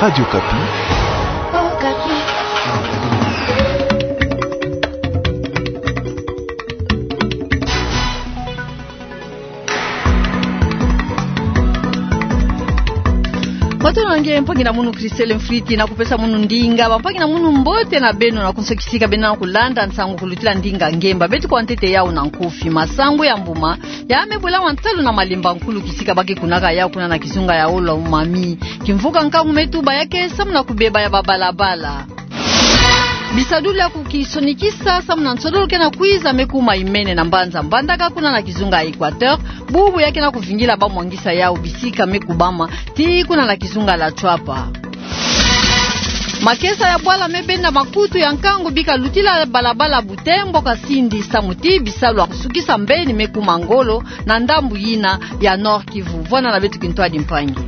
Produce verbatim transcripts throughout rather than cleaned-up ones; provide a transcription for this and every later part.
Radio Okapi. Bato na nge, mpangi na munu Christelle Mfriti na kupesa munu ndinga. Bampangi na munu, mbote na beno na konso kisika beno na kulanda nsangu kulutila ndinga ngemba. Beto kwa ntete yau na nkufi. Masangu ya mbuma ya me bwela wa ntalu na malemba nkulu kisika ba ke kunaka yau kuna na kizunga ya Olo-Mami. Kimvuka nkangu me tuba ya ke samu na kubeba ya babalabala. Bisadulu ya kukisonikisa samu na nsodolo ke na kwiza me kuma imene na mbanza Mbandaka kuna na kizunga ya Equateur. Bubu ya ke na kuvingila bamwangisa yau bisika me kubama ti kuna na kizunga la Tshuapa. Makesa ya bwala me benda makutu ya nkangu bi kalutila balabala Butembo-Kasindi samu ti bisalu ya kusukisa mbeni me kuma ngolo na ndambu yina ya Nord-Kivu. Vwanda na beto kintwadi mpangi.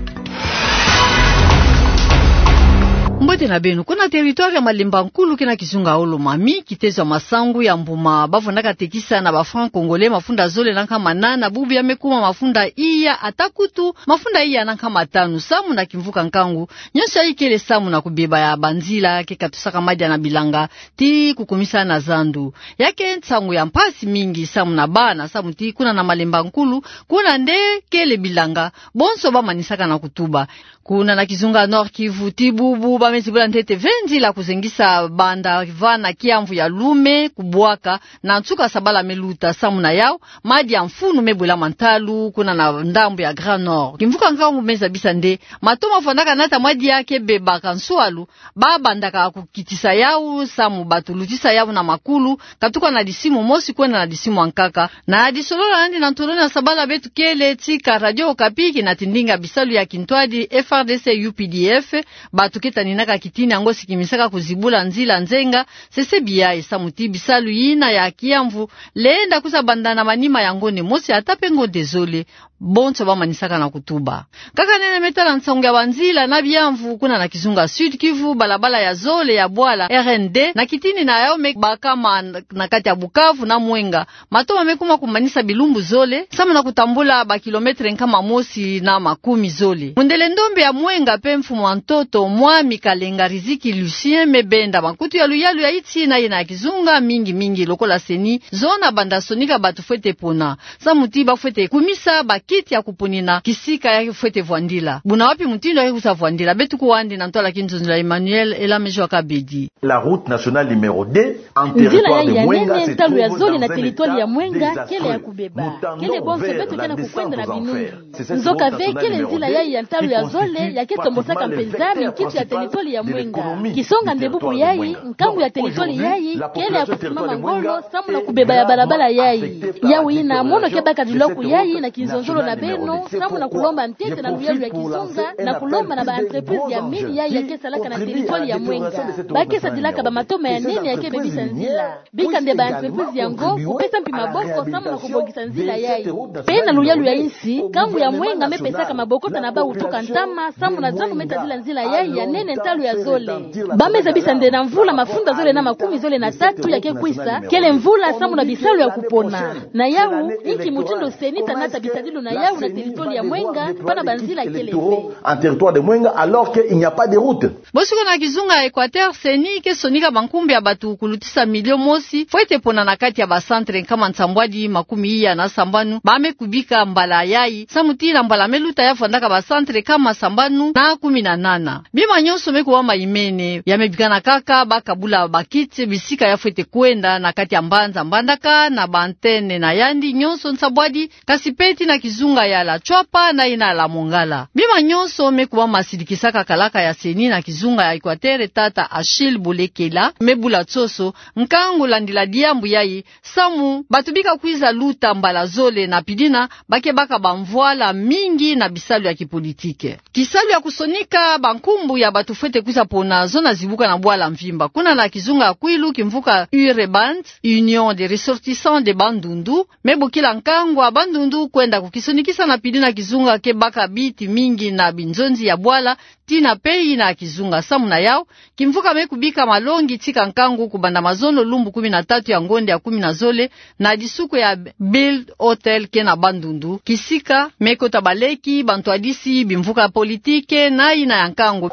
Mbote na beno. Kuna territoire ya malemba nkulu ke na kizunga Olo-Mami, kitezo ya masangu ya mbuma ba vwandaka tekisa na ba francs congolais mafunda zole na nkama nana, bubu ya me kuma mafunda iya, ata kutu mafunda iya na nkama tanu. Samu na kimvuka nkangu, nyonso yayi kele samu na kubeba ya banzila ke katusaka madia na bilanga ti kukumisa na zandu. Ya ke nsangu ya mpasi mingi samu na bana, samu ti kuna na malemba nkulu, kuna nde kele bilanga, bonso ba manisaka na kutuba. Kuna na kizunga Nord-Kivu ti bubu ba me zibula ntete ve nzila kuzengisa banda va na kiamvu ya Lume kubwaka na nsuka sabala me luta. Samu na yau, madia mfunu me bwela ma ntalu kuna na ndambu ya Grand Nord. Kimvuka nkangu me zabisa nde mato ma vwandaka nata madia ke bebaka nsualu, ba bandaka kukitisa yau samu bato lutisa yau na makulu, katuka na disimu mosi kwenda na disimu ya nkaka. Na disolola nandi na ntolo na sabala, beto kele tika Radio Okapi ki na tindinga bisalu ya kintwadi F R D C U P D F, bato ke taninaka kitini yango sikimisaka kuzibula nzila nzenga, sese biai samu ti bisalu yina ya kiamvu lenda kwiza banda na manima ya ngonde mosi ata pe ngonde zole. Bonso ba manisaka na kutuba. Kaka nene me tala nsangu ya banzila na biamvu kuna na kizunga Sud-Kivu, balabala ya zole ya bwala R N D, na kitini na yau me bakama na kati ya Bukavu na Mwenga. Mato ma me kuma kumanisa bilumbu zole, samu na kutambula ba kilomètre nkama mosi na makumi zole. Mundele ndombe ya Mwenga pe mfumu wa ntoto, mwami Kalenga Riziki Lucien, me benda makutu ya luyalu ya nsi na yina ya kizunga, mingi mingi lokola CENI, zona banda sonika bato fwete pona. Samu ti ba fwete kumisa ba kiti ya kuponina kisika ya ke fwete vwandila. Buna wapi mutindu ya ke kwiza vwandila? Beto kuwa nandi na ntwala kinzonzolo ya Emmanuel Elamejo Kabedi. La route nationale numéro deux, en territoire de Mwenga, se trouve dans un état désastreusement mauvais. Nzila yayi ya nene ntalu ya zole na territoire ya Mwenga, kele ya kubeba. Kele bonso beto ke na kukwenda na binungi. Nzoka ve, kele nzila yayi ya ntalu ya zole ya ke tombosaka mpenza minkitu ya territoire ya Mwenga. Kisonga nde bubu yayi, nkangu ya territoire yayi kele ya kusimama ngolo samu na kubeba ya balabala yayi. Yau yina mono ke baka dilwa ku yayi na kinzonzolo na beno, samu na kulomba ntete na luyalu ya kizunga, na kulomba na ba entreprise ya mingi yayi ya ke salaka na territoire ya Mwenga. Ba ke sadilaka ba matoma ya nene ya ke bebisa nzila. Bika nde ba entreprise yango kupesa mpi maboko samu na kubongisa nzila yayi. Pe na luyalu ya nsi, nkangu ya Mwenga me pesaka mabokota na bau tuka ntama samu na zono me tadila nzila yayi ya nene ntalu ya zole. Ba me zabisa nde na mvula mafunda zole na makumi zole na tatu ya ke kwisa, kele mvula samu na bisalu ya kupona. Na yau, inki mutindu CENI ta nata bisadilu na yau na territoire ya Mwenga, pana banzila kele ve. En territoire de Mwenga, alors qu'il n'y a pas de route. Bosi kuna na kizunga ya Equateur, CENI ke sonika bankumbu ya bato kulutisa milio mosi fwete pona na kati ya ba centre nkama nsambwadi makumi iya na sambanu ba me kubika mbala yayi, samu ti na mbala me luta ya vwandaka ba centre nkama sambanu na kumi na nana. Bima nyonso me kuwa ma imene, ya me bikana kaka ba kabula ba kiti bisika ya fwete kwenda na kati ya mbanza Mbandaka na ba antenne na yandi nyonso nsambwadi, kasi pe ti na kizunga ya la Tshuapa na yina la Mongala. Bima nyonso me kuwa ma sidikisaka kalaka ya CENI na kizunga ya Equateur, tata Achille Bolekela me bula nsoso nkangu landila diambu yayi, samu bato bika kwiza luta mbala zole na pidina ba ke baka bamvwala mingi na bisalu ya kipolitike. Kisalu ya kusonika bankumbu ya bato fwete kwiza pona zona zibuka na bwala mvimba. Kuna na kizunga ya Kwilu, kimvuka UREBAND, Union des Ressortissants de Bandundu, me bokila nkangu ya Bandundu kwenda kukisonikisa na pidina kizunga ke baka biti mingi na binzonzi ya bwala, tina pe yina ya kizunga. Samu na yau, kimvuka me kubika malongi tika nkangu kubanda mazono lumbu kumi na tatu ya ngonde ya kumi na zole, na disuku ya Bild Hotel ke na Bandundu, kisika me kota baleki, bantwadisi, bimvuka politike na yina ya nkangu.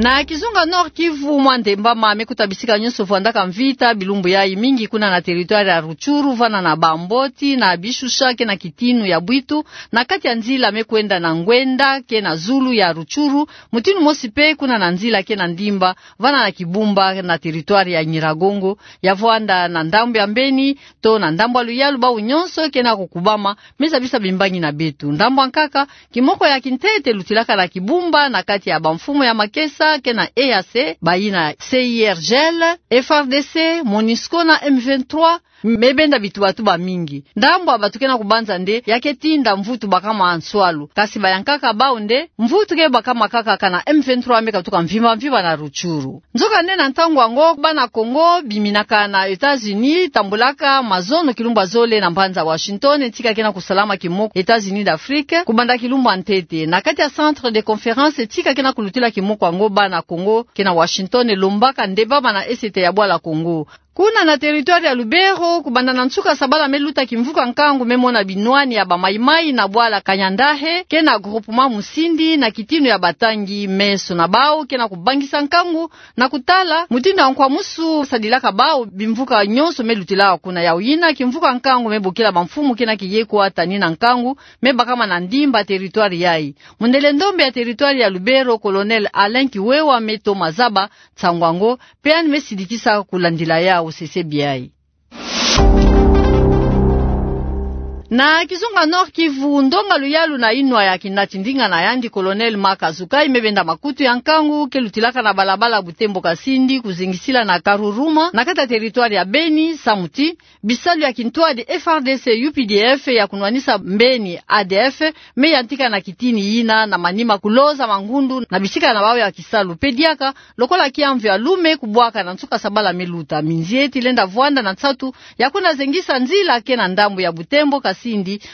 Na kizunga Nord-Kivu, mwa ndembama me kuta bisika nyonso vwandaka mvita bilumbu yayi, mingi kuna na territoire ya Rutshuru, vana na Bamboti, na Bishusha, ke na Kitinu ya Bwitu, na kati ya nzila me kwenda na Ngwenda ke na zulu ya Rutshuru, mutindu mosi pe kuna na nzila ke na Ndimba, vana na Kibumba na territoire ya Nyiragongo, ya vwanda na ndambu ya Mbeni, to na ndambu ya luyalu, bawu nyonso ke na kukubama, me zabisa bimbangi na beto. Ndambu ya nkaka, kimoko ya kintete lutilaka na Kibumba na kati ya bamfumu ya makesa ke na E A C, bayina C I R G L, F A R D C, MONUSCO na M vingt-trois, me benda bitubatuba mingi. Ndambu ya bato ke na kubanza nde ya ke tinda mvutu baka mwa nswalu. Kasi bayankaka bawu nde mvutu ke baka mwa kaka kana M vingt-trois me katuka mvimba mvimba na Rutshuru. Nzokande na ntangu yango, bana Kongo biminaka na États-Unis, tambulaka mazono kilumbu ya zole na mbanza Washington, tika ke na kusalama kimoko États-Unis d'Afrique, kubanda kilumbu ya ntete. Na kati ya centre de conférence tika ke na kulutila kimoko yango, bana Kongo ke na Washington lombaka nde baba na esete ya bwala Kongo. Kuna na territoire ya Lubero, kubanda na nsuka sabala me luta, kimvuka nkangu me mona binwani ya ba Maï-Maï na bwala Kanyandahe, ke na groupement Musindi, na kitinu ya batangi. Meso na bawu ke na kubangisa nkangu na kutala mutindu ya nkwamusu sadilaka bawu. Bimvuka nyonso me lutila kuna. Yawu yina kimvuka nkangu me bokila bamfumu ke na kiyekwa tani na nkangu me bakama na Ndimba, territoire yayi. Mundele ndombe ya territoire ya Lubero, Colonel Alain Kiwewa, me toma zaba nsangu yango, pe yandi me sidikisa kulandila yawu. Sese biai. Na kizunga Nord-Kivu, ndonga luyalu na inwa ya kinati ndinga na yandi, Colonel Marc Azukai, me benda makutu ya nkangu ke lutilaka na balabala Butembo-Kasindi kuzingisila na Karuruma, na kati ya territoire ya Beni, samu ti bisalu ya kintwadi F A R D C U P D F ya kunwanisa mbeni A D F me yantika na kitini yina na manima, kuloza mangundu na bisika na bawu ya kisalu. Pe diaka, lokola kiamvu ya lume kubwaka na nsuka sabala me luta, minzieti lenda vwanda na nsatu ya kuna zengisa nzila ke na ndambu ya Butembo-Kasindi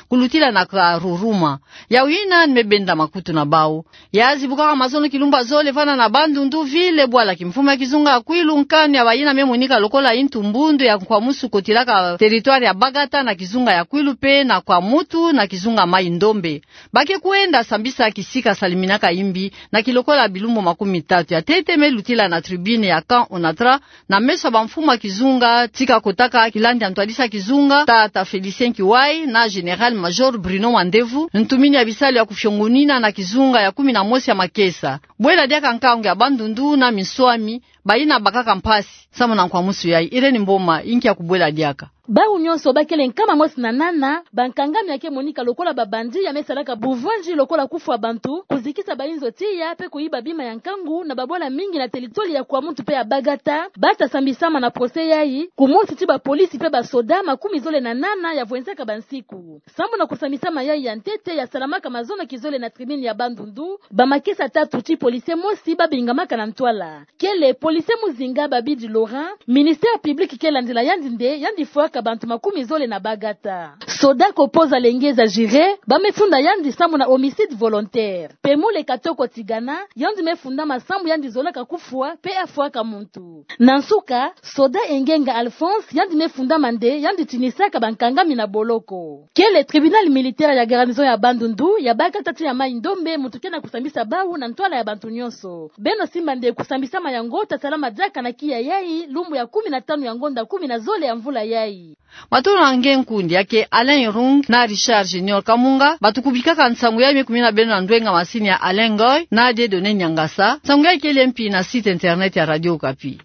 kulutila na Karuruma. Yawu yina ni me benda makutu na bawu. Ya zibukaka mazono kilumbu ya zole vana na Bandundu-Ville, bwala kimfumu ya kizunga ya Kwilu, nkanu ya bayina me monika lokola intu mbundu ya nkwamusu kotilaka territoire ya Bagata na kizunga ya Kwilu pe na Kwamouth na kizunga Maï-Ndombe. Ba ke kwenda sambisa kisika saliminaka imbi na kilokola bilumbu makumi tatu. Ya ntete me lutila na tribune ya camp Onatra, na meso ya bamfumu ya kizunga tika kotaka kilandi ya ntwadisi ya kizunga, tata Félicien Kiwai na Général-Major Bruno Mandevu, ntumini ya bisalu ya kufiongonina na kizunga ya kumi na mosi ya makesa. Bwela diaka nkangu ya Bandundu na minswami, bayina bakaka mpasi samu na nkwamusu yayi. Irène Mboma, inki ya kubwela diaka? Bawu nyonso ba kele nkama mosi na nana, bankangami ya ke monika lokola ba bandits ya me salaka buvwanzi lokola kufwa bantu, kuzikisa bayinzo tiya, pe kuyiba bima ya nkangu na babwala mingi na territoire ya Kwamouth pe ya Bagata. Bata sambisama na procès yayi, kumosi ti bapolisi pe basoda makumi zole na nana ya vwenzaka bansiku. Sambu na kusambisama yayi ya ntete ya salamaka mazono kizole na tribune ya Bandundu, bamakesa tatu ti policier mosi ba bingamaka na ntwala. Kele policier muzinga Babidi Laurent, ministère public ke landila yandi nde yandi fwaka bantu makumi zole na Bagata. Soda Kopoza Lengeza Jire, ba me funda yandi sambu na homicide volontaire. Pemule Katoko Tigana, yandi me fundama sambu yandi zolaka kufwa pe afwaka muntu. Na nsuka, soda Engenga Alphonse, yandi me fundama nde yandi tinisaka bankangami na boloko. Kele tribunal militaire ya garnison ya Bandundu, ya Bagata ti ya Maï-Ndombe, muntu ke na kusambisa bawu na ntwala ya bantu nyonso. Beno simba nde kusambisama yango ta salama diaka na kiya yayi, lumbu ya kumi na tanu ya ngonda kumi na zole ya mvula yayi. Matondo na nge nkundi, ya ke Alain Irung na Richard Junior Kamunga, batukubikaka nsangu yayi. Me kumina beno na ndwenga masini ya Alain Ngoy na Dieudonné Niangasa. Nsangu yayi kele mpi na site internet ya Radio Okapi.